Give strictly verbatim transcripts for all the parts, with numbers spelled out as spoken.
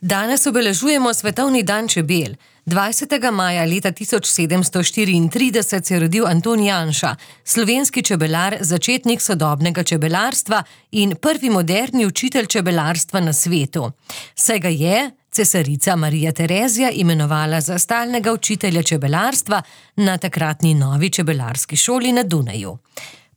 Danes obeležujemo Svetovni dan čebel. dvajsetega maja leta tisoč sedemsto štiriintrideset se je rodil Anton Janša, slovenski čebelar, začetnik sodobnega čebelarstva in prvi moderni učitelj čebelarstva na svetu. Saj ga je cesarica Marija Terezija imenovala za stalnega učitelja čebelarstva na takratni novi čebelarski šoli na Dunaju.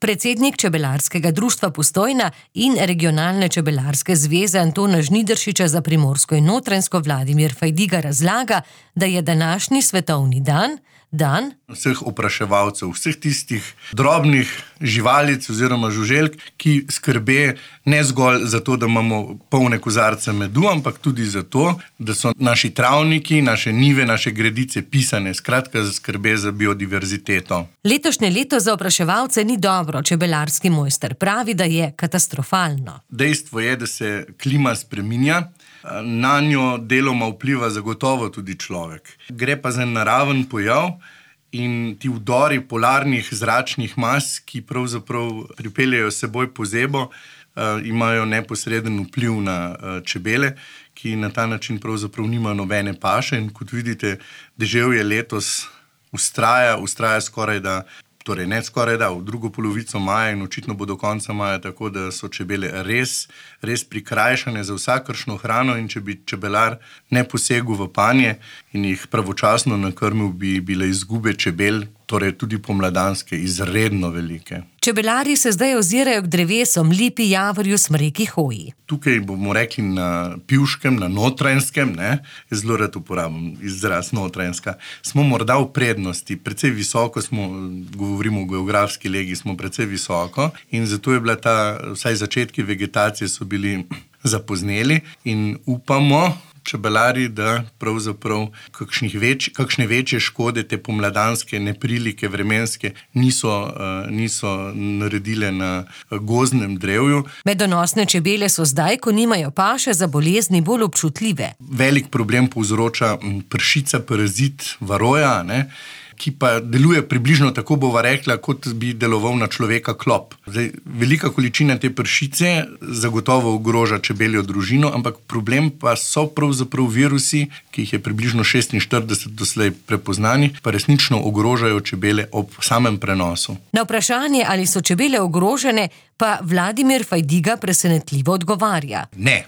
Predsednik Čebelarskega društva Postojna in Regionalne čebelarske zveze Antona Žnidaršiča za Primorsko in Notranjsko Vladimir Fajdiga razlaga, da je današnji svetovni dan dan vseh opraševalcev, vseh tistih drobnih živalic oziroma žuželk, ki skrbe ne zgolj za to, da imamo polne kozarce medu, ampak tudi za to, da so naši travniki, naše njive, naše gredice pisane, skratka za skrbe za biodiverziteto. Letošnje leto za opraševalce ni dobro, čebelarski mojster pravi, da je katastrofalno. Dejstvo je, da se klima spreminja, na njo deloma vpliva zagotovo tudi človek. Gre pa za naraven pojav in ti vdori polarnih zračnih mas, ki pravzaprav pripeljejo seboj pozebo, imajo neposreden vpliv na čebele, ki na ta način pravzaprav nimajo nobene paše in kot vidite, deževje letos vztraja, vztraja skoraj da Torej, ne skoraj da, v drugo polovico maja in očitno bo do konca maja, tako da so čebele res, res prikrajšane za vsakršno hrano in če bi čebelar ne posegel v panje in jih pravočasno nakrmil, bi bile izgube čebel, torej tudi pomladanske, izredno velike. Čebelari se zdaj ozirajo k drevesom, lipi, javorju, smreki, hoji. Tukaj bomo rekli na Pivškem, na Notranjskem, ne, zelo rad uporabim izraz Notranjska, smo morda v prednosti, precej visoko smo, govorimo o geografski legi, smo precej visoko in zato je bila ta, vsaj začetki vegetacije so bili zapozneli in upamo, čebelari, da pravzaprav kakšnih več, kakšne večje škode te pomladanske neprilike vremenske niso, uh, niso naredile na gozdnem drevju. Medonosne čebele so zdaj, ko nimajo paše, za bolezni bolj občutljive. Velik problem povzroča pršica, parazit varoja, ne, ki pa deluje približno tako, bova rekla, kot bi deloval na človeka klop. Zdaj, velika količina te pršice zagotovo ogroža čebeljo družino, ampak problem pa so pravzaprav virusi, ki jih je približno šestinštirideset doslej prepoznanih, pa resnično ogrožajo čebele ob samem prenosu. Na vprašanje, ali so čebele ogrožene, pa Vladimir Fajdiga presenetljivo odgovarja. Ne.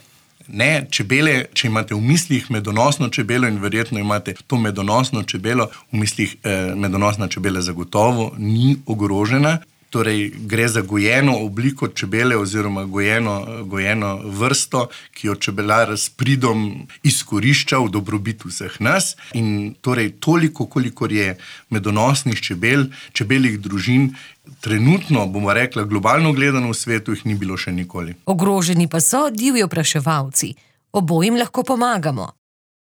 Ne, čebele, če imate v mislih medonosno čebelo in verjetno imate to medonosno čebelo, v mislih eh, medonosna čebela zagotovo ni ogrožena. Torej, gre za gojeno obliko čebele oziroma gojeno, gojeno vrsto, ki jo čebelar s pridom izkorišča v dobrobit vseh nas. In torej, toliko, kolikor je medonosnih čebel, čebeljih družin, trenutno, bomo rekla, globalno gledano v svetu, jih ni bilo še nikoli. Ogroženi pa so divji opraševalci. Obojim lahko pomagamo.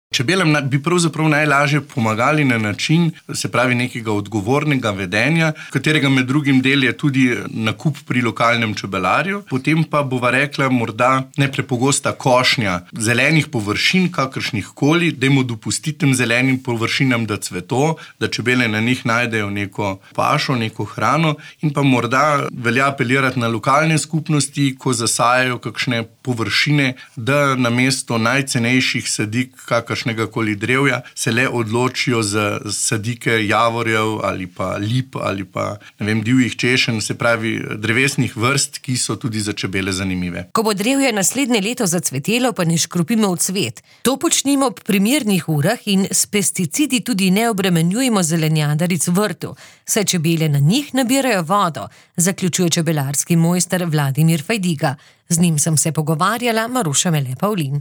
Čebelam bi pravzaprav najlažje pomagali na način, se pravi nekega odgovornega vedenja, katerega med drugim del je tudi nakup pri lokalnem čebelarju, potem pa bova rekla morda neprepogosta košnja zelenih površin, kakršnih koli, dajmo dopustiti tem zelenim površinam, da cveto, da čebele na njih najdejo neko pašo, neko hrano in pa morda velja apelirati na lokalne skupnosti, ko zasajajo kakšne površine, da namesto najcenejših sadik, kakr koli drevja, se le odločijo za sadike javorjev ali pa lip ali pa, ne vem, divjih češenj, se pravi drevesnih vrst, ki so tudi za čebele zanimive. Ko bo drevje naslednje leto zacvetelo, pa ne škropimo v cvet. To počnimo ob primernih urah in s pesticidi tudi ne obremenjujemo zelenjadaric v vrtu, saj čebele na njih nabirajo vodo, zaključuje čebelarski mojster Vladimir Fajdiga. Z njim sem se pogovarjala, Maruša Mele Pavlin.